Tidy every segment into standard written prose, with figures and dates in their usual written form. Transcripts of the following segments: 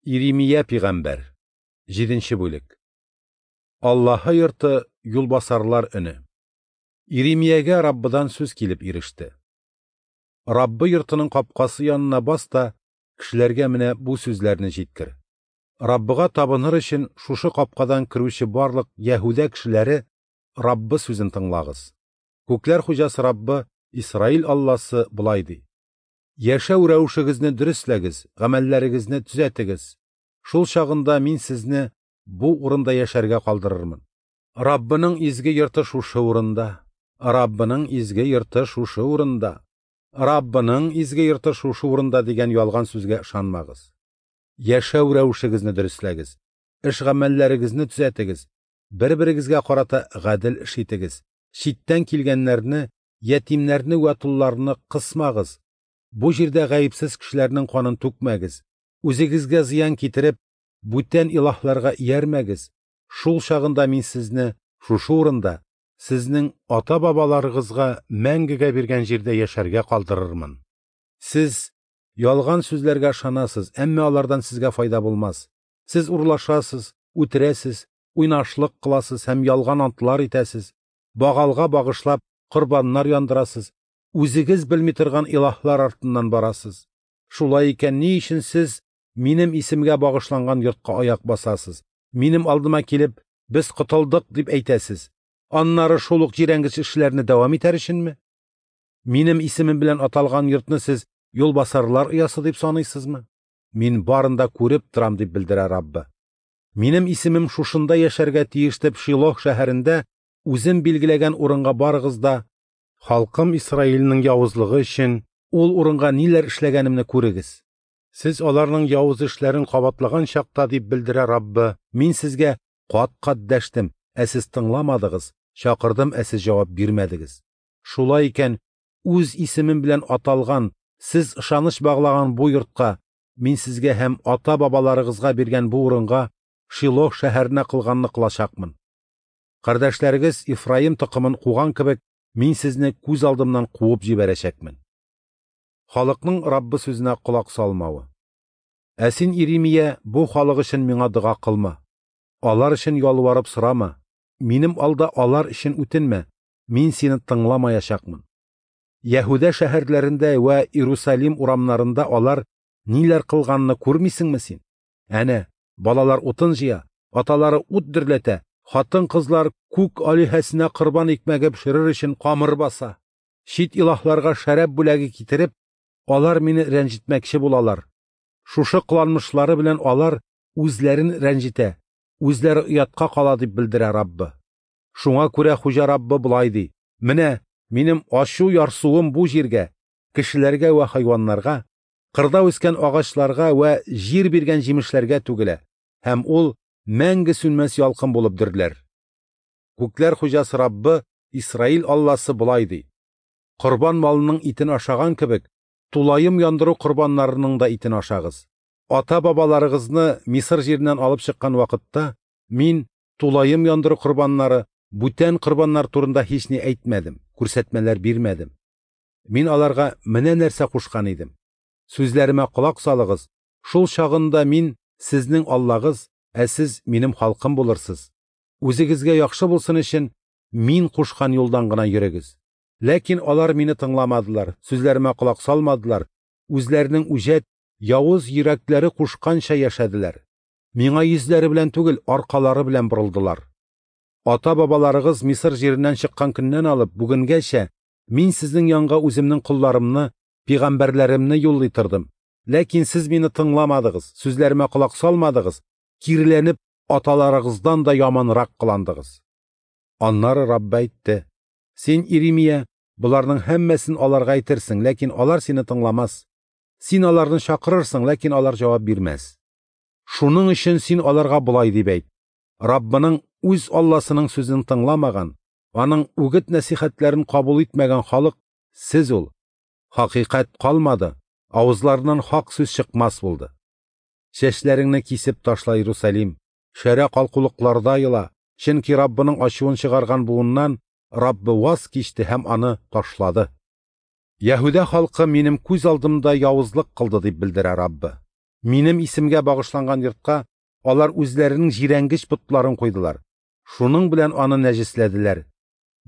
Иремия пигамбәр. 7 бүлек. Аллаһы йорты юлбасарлар өне. Иремиягә Раббыдан сүз килеп иреште. Раббы йортының капкасы янына бас та, кешеләргә менә бу сүзләрне җиткер. Раббыга табыныр өчен шушы капкадан керүче барлык Яһүдә кешеләре Раббы сүзен тыңлагыз. Күкләр хуҗасы Раббы, Исраил Алласы болай ди: Яшәү рәвешегезне дөресләгез, гамәлләрегезне төзәтегез. Шул чагында мин сезне бу урында яшәргә калдырырмын. Раббының изге йорты шушы урында. Раббының изге йорты шушы урында. Раббының изге йорты шушы урында дигән ялган сүзгә ышанмагыз. Яшәү рәвешегезне дөресләгез, эш гамәлләрегезне төзәтегез, бер-берегезгә карата гадел эш итегез. Читтән килгәннәрне, ятимнәрне вә толларны кысмагыз. Бу җирдә гаепсез кешеләрнең канын түкмәгез. Үзегезгә зыян китереп, бүтән илаһларга иярмәгез. Шул чагында мин сезне шушы урында, сезнең ата-бабаларыгызга мәңгегә биргән җирдә яшәргә калдырырмын. Сез ялган сүзләргә ышанасыз, әмма алардан сезгә файда булмас. Сез урлашасыз, үтерәсез, уйнашлык кыласыз һәм ялган антлар итәсез, Багалга багышлап корбаннар яндырасыз, үзегез белми торган илаһлар артыннан барасыз. Шулай икән, ни өчен сез минем исемгә багышланган йортка аяк басасыз? Минем алдыма килеп, без котылдык дип әйтәсез. Аннары шул ук җирәнгеч эшләрне дәвам итәр өченме? Минем исемем белән аталган йортны сез юлбасарлар оясы дип саныйсызмы? Мин барын да күреп торам дип белдерә Раббы. Минем исемем шушында яшәргә тиеш дип Шилох шәһәрендә үзем билгеләгән урынга барыгыз да, халкым Исраилнең явызлыгы өчен ул урынга ниләр эшләгәнемне күрегез. Сез аларның явыз эшләрен кабатлаган чакта дип белдерә Раббы, мин сезгә кат-кат дәштем, ә сез тыңламадыгыз, чакырдым, ә сез җавап бирмәдегез. Шулай икән, үз исемем белән аталган, сез ышаныч баглаган бу йортка, мин сезгә һәм ата-бабаларыгызга биргән бу урынга Шилох шәһәренә кылганны кылачакмын. Кардәшләрегез Ифраим токымын куган кебек, мин сезне күз алдымнан куып җибәрәчәкмен. Халыкның Раббы сүзенә колак салмавы. Ә син, Иремия, бу халык өчен миңа дога кылма. Алар өчен ялварып сорама. Минем алда алар өчен үтенмә. Мин сине тыңламаячакмын. Яһүдә шәһәрләрендә вә Иерусалим урамнарында алар ниләр кылганны күрмисеңме син? Әнә, балалар утын җыя, аталары ут дөрләтә, хатын-кызлар күк алиһәсенә корбан икмәге пешерер өчен камыр баса. Чит илаһларга шәраб бүләге китереп, алар мине рәнҗетмәкче булалар. Шушы кыланмышлары белән алар үзләрен рәнҗетә, үзләре оятка кала дип белдерә Раббы. Шуңа күрә Хуҗа Раббы болай ди: Менә минем ачу ярсуым бу җиргә, кешеләргә вә хайваннарга, кырда үскән агачларга вә җир биргән җимешләргә түгелә, һәм ул мәңге сүнмәс ялкын булып дөрләр. Күкләр хуҗасы Раббы, Исраил Алласы болай ди: Корбан малының итен ашаган кебек, тулаем яндыру корбаннарының да итен ашагыз. Ата-бабаларыгызны Мисыр җиреннән алып чыккан вакытта мин тулаем яндыру корбаннары, бүтән корбаннар турында һични әйтмәдем, күрсәтмәләр бирмәдем. Мин аларга менә нәрсә кушкан идем. Сүзләремә колак салыгыз, шул чагында мин сезнең Аллагыз, ә сез минем халкым булырсыз. Үзегезгә яхшы булсын өчен мин кушкан юлдан гына йөрегез. Ләкин алар мине тыңламадылар, сүзләремә колак салмадылар, үзләренең үҗәт, явыз йөрәкләре кушканча яшәделәр. Миңа йөзләре белән түгел, аркалары белән борылдылар. Ата-бабаларыгыз Мисыр җиреннән чыккан көннән алып бүгенгәчә мин сезнең янга үземнең колларымны, пигамбәрләремне юллый тордым. Ләкин сез мине тыңламадыгыз, сүзләремә колак салмадыгыз, киреләнеп аталарыгыздан да яманрак кыландыгыз. Аннары Раббы әйтте: Син, Иремия, боларның һәммәсен аларга әйтерсең, ләкин алар сине тыңламас. Син аларны чакырырсың, ләкин алар җавап бирмәс. Шуның өчен син аларга болай дип әйт: Раббының үз Алласының сүзен тыңламаган, аның үгет нәсихәтләрен кабул итмәгән халык сез ул. Хакыйкать калмады, авызларыннан хак сүз чыкмас булды. Чәчләреңне кисеп ташла, Иерусалим, шәрә калкулыкларда ела, чөнки Раббының ачуын чыгарган буыннан Раббы ваз кичте һәм аны ташлады. Яһүдә халкы минем күз алдымда явызлык кылды дип белдерә Раббы. Минем исемгә багышланган йортка алар үзләренең җирәнгеч потларын куйдылар, шуның белән аны нәҗесләделәр.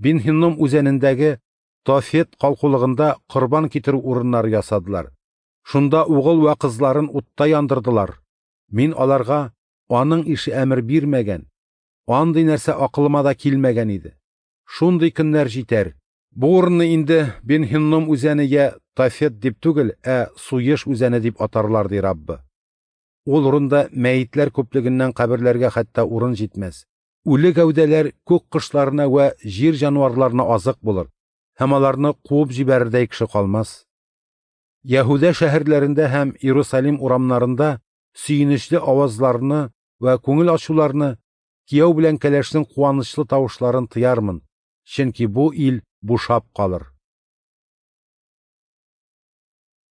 Бен-Һинном үзәнендәге Тофет калкулыгында корбан китерү урыннары ясадылар. Шунда угыл вә кызларын утта яндырдылар. Мин аларга аның ише әмер бирмәгән, андый нәрсә акылыма да килмәгән иде. Шундый көннәр җитәр, бу урынны инде Бен-Һинном үзәне йә Тофет дип түгел, ә Суеш үзәне дип атарлар, ди Раббы. Ул урында мәетләр күплегеннән каберләргә хәтта урын җитмәс. Үле гәүдәләр күк кошларына вә җир җанварларына азык булыр, һәм аларны куып җибәрердәй кеше калмас. Яһүдә шәһәрләрендә һәм Иерусалим урамнарында сөенечле авазларны вә күңел ачуларны, кияү белән кәләшнең куанычлы тавышларын тыярмын, чөнки бу ил бушап калыр.